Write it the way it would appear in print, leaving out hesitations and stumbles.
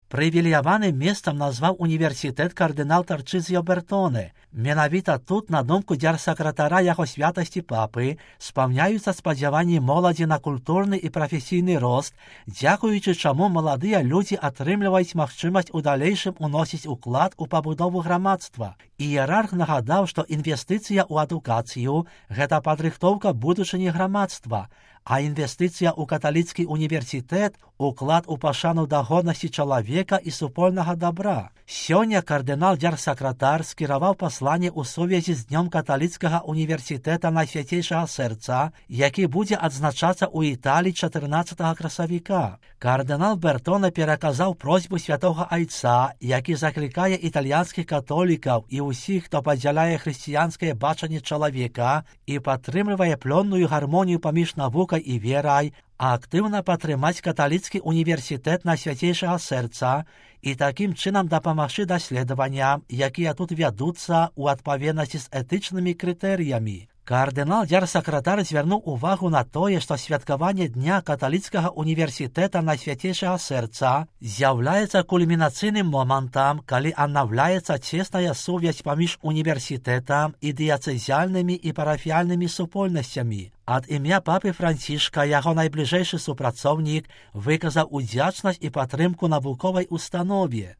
Прывілеяваным месцам назваў універсітэт кардынал Тарчызіо Бертоне. Менавіта тут, на думку дзярсакратара яго святасці папы, спаўняюцца спадзяванні моладзі на культурны і прафесійны рост, дзякуючы чаму маладыя людзі атрымліваюць магчымасць у далейшым уносіць уклад у пабудову грамадства. Іерарх нагадаў, што інвестыцыя ў адукацыю – гэта падрыхтоўка будучыні грамадства, а інвестыцыя ў каталіцкі універсітэт – уклад у пашану да годнасці чалавека і супольнага дабра. Сёння кардынал дзярсакратар скіраваў пасланне ў сувязі з Днём каталіцкага універсітэта Найсвяцейшага Сэрца, які будзе адзначацца ў Італіі 14 красавіка. Кардынал Бертоне пераказаў просьбу святога айца, які заклікае італьянскіх католікаў і ўсіх, хто падзяляе хрысціянскае бачанне чалавека і падтрымлівае плённую гармонію паміж навукай і верай, а актыўна падтрымаць каталіцкі універсітэт Найсвяцейшага Сэрца і такім чынам дапамагчы даследаванням, якія тут вядуцца ў адпаведнасці з этычнымі крытэрыямі. Кардынал дзярсакратар звярнуў увагу на тое, што святкаванне Дня каталіцкага універсітэта Найсвяцейшага Сэрца з'яўляецца кульмінацыйным момантам, калі аднаўляецца цесная сувязь паміж універсітэтам і дыяцэзіяльнымі і парафіяльнымі супольнасцямі. Ад імя папы Францішка яго найбліжэйшы супрацоўнік выказаў удзячнасць і падтрымку навуковай установе.